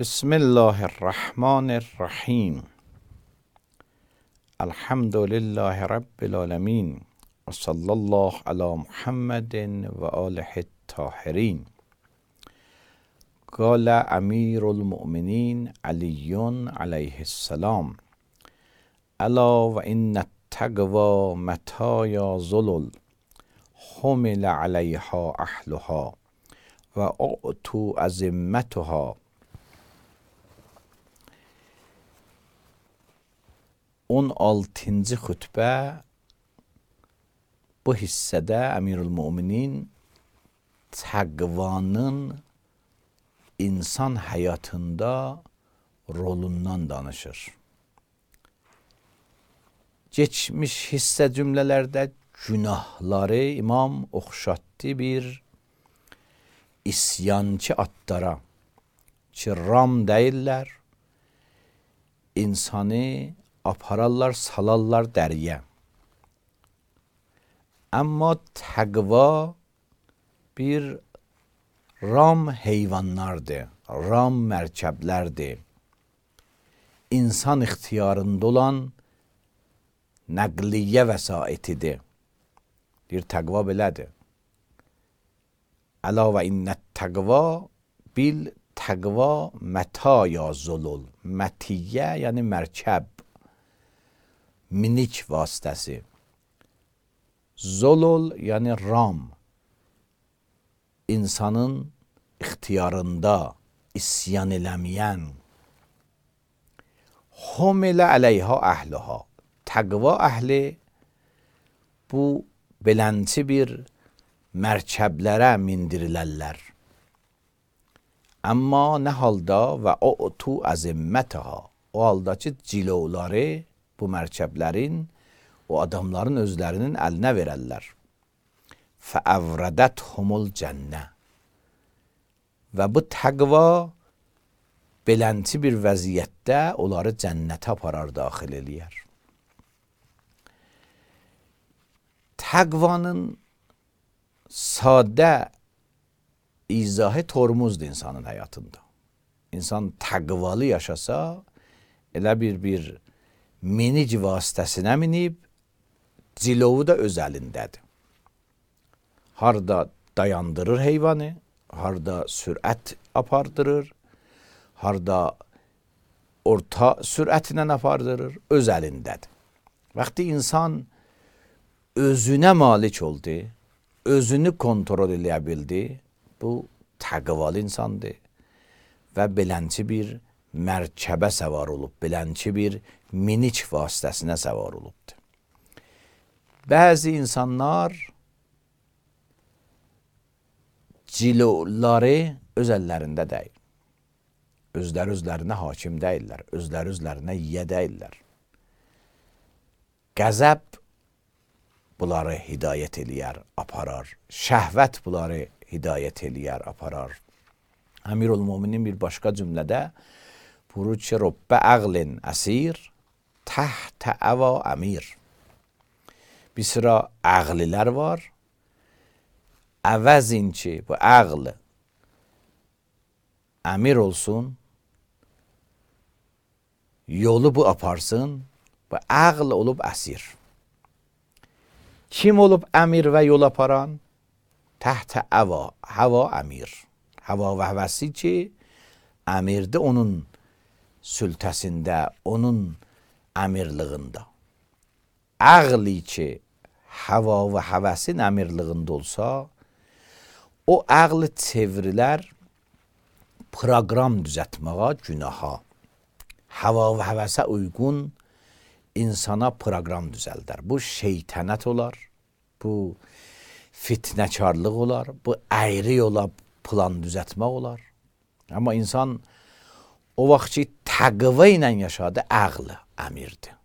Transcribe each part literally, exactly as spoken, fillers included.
بسم الله الرحمن الرحیم. الحمد لله رب العالمین و صلی الله علی محمد و آله الطاهرین. قال امیر المؤمنین علی علیه السلام: الا و ان التقوی مطایا ظلل حمل علیها اهلها و اعطوا ازمتها. on altıncı xütbə bu hissədə Əmirül-Möminin təqvanın insan həyatında rolundan danışır. Geçmiş hissə cümlələrdə günahları imam oxşatdı bir isyançı atlara ki, ram deyirlər, insanı apararlar, salarlar dəriyə. Amma təqva bir ram heyvanlardır, ram mərkəblərdir. İnsan ixtiyarında olan nəqliyyə vəsaitidir. Bir təqva belədir. Əla və innət təqva bil təqva mətaya zolul. Mətiyyə yəni mərkəb, minik vasitəsi. Zolul yəni ram, insanın ixtiyarında isyan eləməyən. Humilə əleyha əhliha. Təqva əhli bu belənçi bir mərkəblərə mindirilərlər. Amma nə halda və utu əzimmətəha. O halda ki, cilovları bu mərkəblərin, o adamların özlərinin əlinə verərlər. Fəəvrədəthumul cənnə. Və bu təqva belənti bir vəziyyətdə onları cənnətə aparar, daxil eləyər. Təqvanın sadə izahı tormuzdur insanın həyatında. İnsan təqvalı yaşasa, elə bir bir minik vasitəsinə minib, cilovu da öz əlindədir. Harda dayandırır heyvanı, harda sürət apardırır, harda orta sürətlə apardırır, öz əlindədir. Vaxtı insan özünə malik oldu, özünü kontrol eləyə bildi, bu təqvalı insandır və belənçi bir mərkəbə səvar olub, belənçi bir minik vasitəsinə səvar olubdur. Bəzi insanlar ciloları öz əllərində deyil. Özləri özlərinə hakim deyirlər, özləri özlərinə yiyə deyirlər. Qəzəb bunları hidayət eləyər, aparar. Şəhvət bunları hidayət eləyər, aparar. Əmirül-Möminin bir başqa cümlədə buyurur ki, Rəbbə əqlin əsir, təhtə əva əmir. Bir sıra əqlilər var. Əvəzin ki, bu əql əmir olsun, yolu bu aparsın, bu əql olub əsir. Kim olub əmir və yol aparan? Təhtə əva, həva əmir. Həva və həvəsi ki, əmirdir onun sültəsində, onun əmirliğində. Əqli ki, həva və həvəsin əmirliğində olsa, o əqli çevrilər proqram düzətməyə, günaha. Həva və həvəsə uyğun insana proqram düzəldər. Bu şeytənət olar, bu fitnəkarlıq olar, bu əyri yola plan düzətmək olar. Amma insan o vaxt ki, təqva ilə yaşadı, əql əmirdir.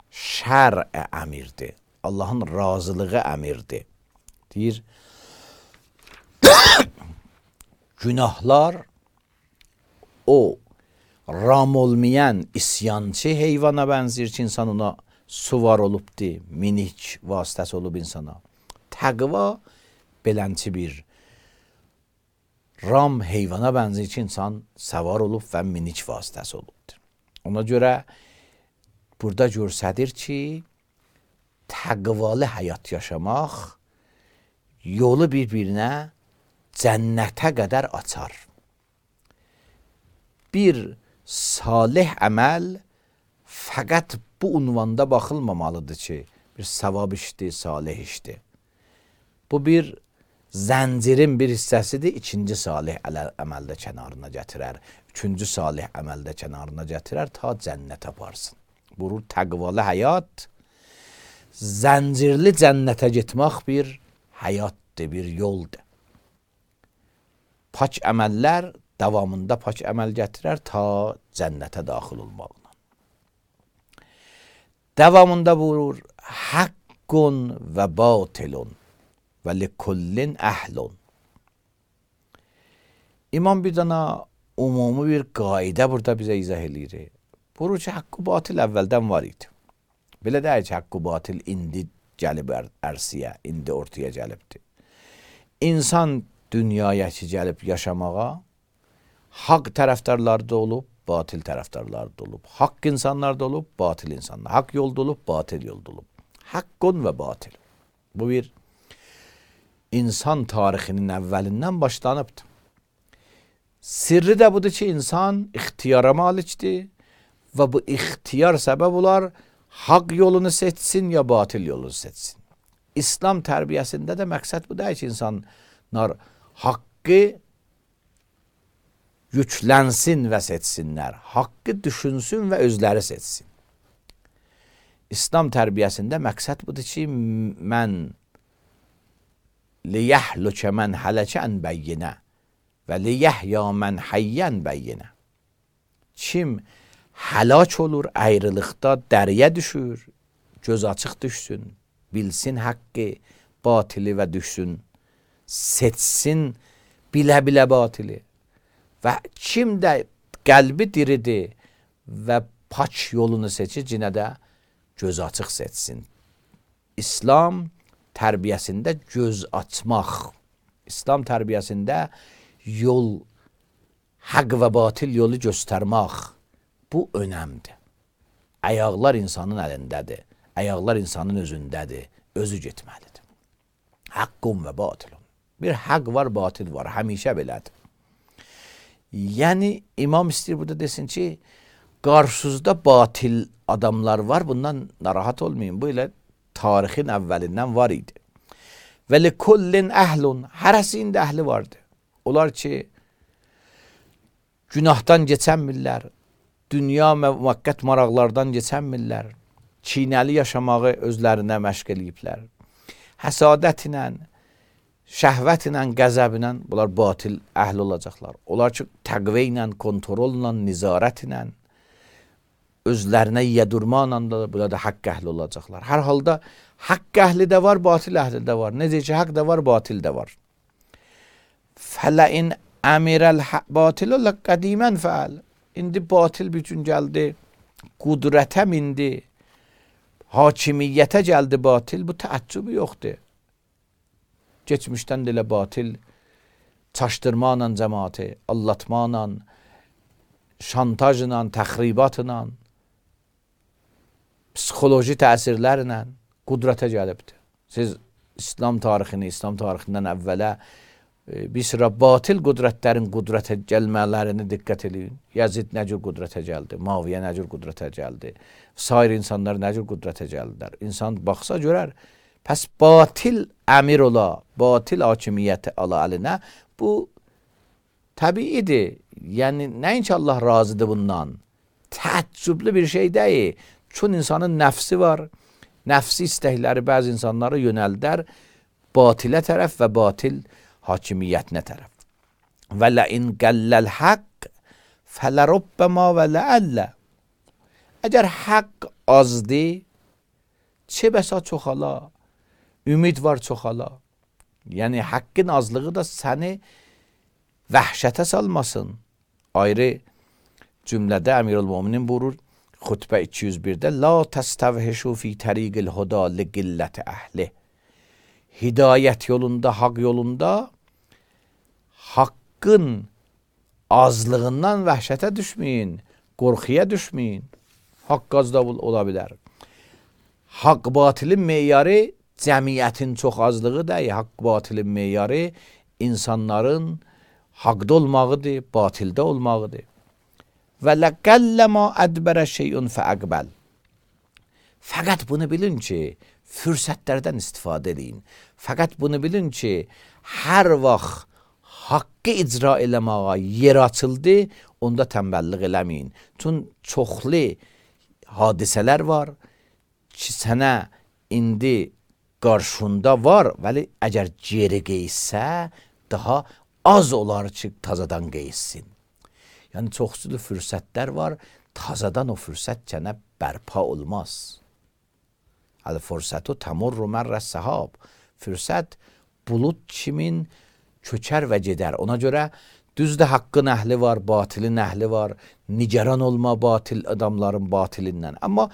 Şər əmirdir. Allahın razılığı əmirdir. Deyir, günahlar o ram olmayan isyançı heyvana bənzir ki, insan ona suvar olubdur, minik vasitəsi olub insana. Təqva belənçi bir ram heyvana bənzəyir ki, insan səvar olub və minik vasitəsi olubdur. Ona görə burada görsədir ki, təqvalı həyat yaşamaq yolu bir-birinə cənnətə qədər açar. Bir salih əməl fəqət bu unvanda baxılmamalıdır ki, bir savab işdir, salih işdir. Bu bir zəncirin bir hissəsidir, ikinci salih əməldə kənarına gətirər, üçüncü salih əməldə kənarına gətirər, ta cənnət aparsın. Burur təqvalı həyat, zəncirli cənnətə getmək bir həyatdır, bir yoldur. Pak əməllər davamında pak əməl gətirər, ta cənnətə daxil olmaqla. Davamında buyurur, haqqun və batilun və likullin əhlun. İmam bir dana umumi bir qaidə burada bizə izah edir. Buyurur ki, haqqı batil əvvəldən var idi. Belə deyək ki, haqqı batil indi gəlib ərsiyə, indi ortaya gəlibdir. İnsan dünyaya ki, gəlib yaşamağa haqq tərəfdarları da olub, batil tərəfdarları da olub. Haqq insanlar da olub, batil insanlar. Haqq yolda olub, batil yolda olub. Haqqun və batil. Bu bir insan tarixinin əvvəlindən başlanıbdır. Sirri də budur ki, insan ixtiyara malikdir və bu ixtiyar səbəb olar, haqq yolunu seçsin ya batil yolunu seçsin. İslam tərbiyəsində də məqsəd bu deyil ki, insanlar haqqı yüklənsin və seçsinlər. Haqqı düşünsün və özləri seçsin. İslam tərbiyəsində məqsəd budur ki, mən liyəhlükə mən hələkən bəyyinə və liyəhya mən həyyən bəyyinə. Kim həlak olur, ayrılıqda dəriyə düşür, göz açıq düşsün, bilsin haqqı, batili və düşsün, seçsin bilə-bilə batili. Və kim də qəlbi diridir və pak yolunu seçir, cinə də göz açıq seçsin. İslam tərbiyəsində göz açmaq, İslam tərbiyəsində yol, haqq və batil yolu göstərmək, bu önəmdir. Ayaqlar insanın əlindədir, ayaqlar insanın özündədir, özü getməlidir. Haqqun və batilun. Bir haqq var, batil var, həmişə belədir. Yəni, imam istəyir burada desin ki, qarşınızda batil adamlar var, bundan narahat olmayın. Bu ilə tarixin əvvəlindən var idi. Və likullin əhlun, hərəsində əhli vardı. Onlar ki, günahdan keçənmirlər, dünya müvəqqət maraqlardan keçənmirlər, çiynəli yaşamağı özlərinə məşq eləyiblər. Həsadət ilə, şəhvət ilə, qəzəb ilə bunlar batil əhl olacaqlar. Onlar ki, təqvə ilə, kontrolla, nizarət ilə, özlərinə yedurmanla da bunlar da haqq əhli olacaqlar. Hər halda haqq əhli də var, batil əhli də var. Necə ki, haqq da var, batil də var. Fələin əmirəl batilə qədimən fəal. İndi batil bütün gəldi, qudrətə mindi, hakimiyyətə gəldi batil. Bu təəccübü yoxdur. Geçmişdən də elə batil çaşdırmanla cəmaatı, allatmanla, şantajla, təxribatla, psixoloji təsirlərlə qudrətə gəlibdir. Siz İslam tarixini, İslam tarixindən əvvələ bir sıra batil qudrətlərin qudrətə gəlmələrini diqqət edin. Yazid nə cür qudrətə gəldi, Muaviyə nə cür qudrətə gəldi, sair insanlar nə cür qudrətə gəldilər. İnsan baxsa görər, pəs batil əmir ola, batil hakimiyyəti ala əlinə, bu təbiidir. Yəni, nəinki Allah razıdır bundan. Təəccüblü bir şey deyil. Çün insanın nəfsi var, nəfsi istəkləri bəzi insanları yönəldər batilə tərəf və batil hakimiyyətinə tərəf. Və ləin qəlləl haqq fələrubbəma və ləəllə. Əgər haqq azdır, çə bəsa çoxala, ümid var çoxala. Yəni, haqqın azlığı da səni vəhşətə salmasın. Ayrı cümlədə Əmirül-Müminin buyurur, xutbə iki yüz birdə, la təstəvhişu fi təriqil huda li qilləti əhli. Hidayət yolunda, haqq yolunda haqq haqqın azlığından vəhşətə düşməyin, qorxuya düşməyin. Haqq az da ola bilər. Haqq batilin meyarı cəmiyyətin çox azlığı deyil. Haqq batilin meyarı insanların haqda olmağıdır, batildə olmağıdır. Və ləqəlləmə ədbərə şeyun fəəqbəl. Fəqət bunu bilin ki, fürsətlərdən istifadə edin. Fəqət bunu bilin ki, hər vaxt haqqı icra eləməyə yer açıldı, onda tənbəllik eləməyin. Çün çoxlu hadisələr var ki, sənə indi qarşında var, vəli əgər geri qeysə, daha az olar ki, tazadan qeysin. Yəni, çoxsulu fürsətlər var, tazadan o fürsət sənə bərpa olmaz. Əl-fürsətü təmurru mərrə səhab. Fürsət bulut kimin köçər və gedər. Ona görə düzdür haqqın əhli var, batilin əhli var. Nigaran olma batil adamların batilindən. Amma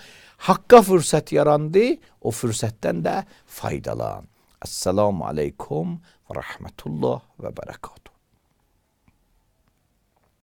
haqqa fürsət yarandı, o fürsətdən də faydalan. Esselamu aleykum və rəhmətullah və bərəkatuhu.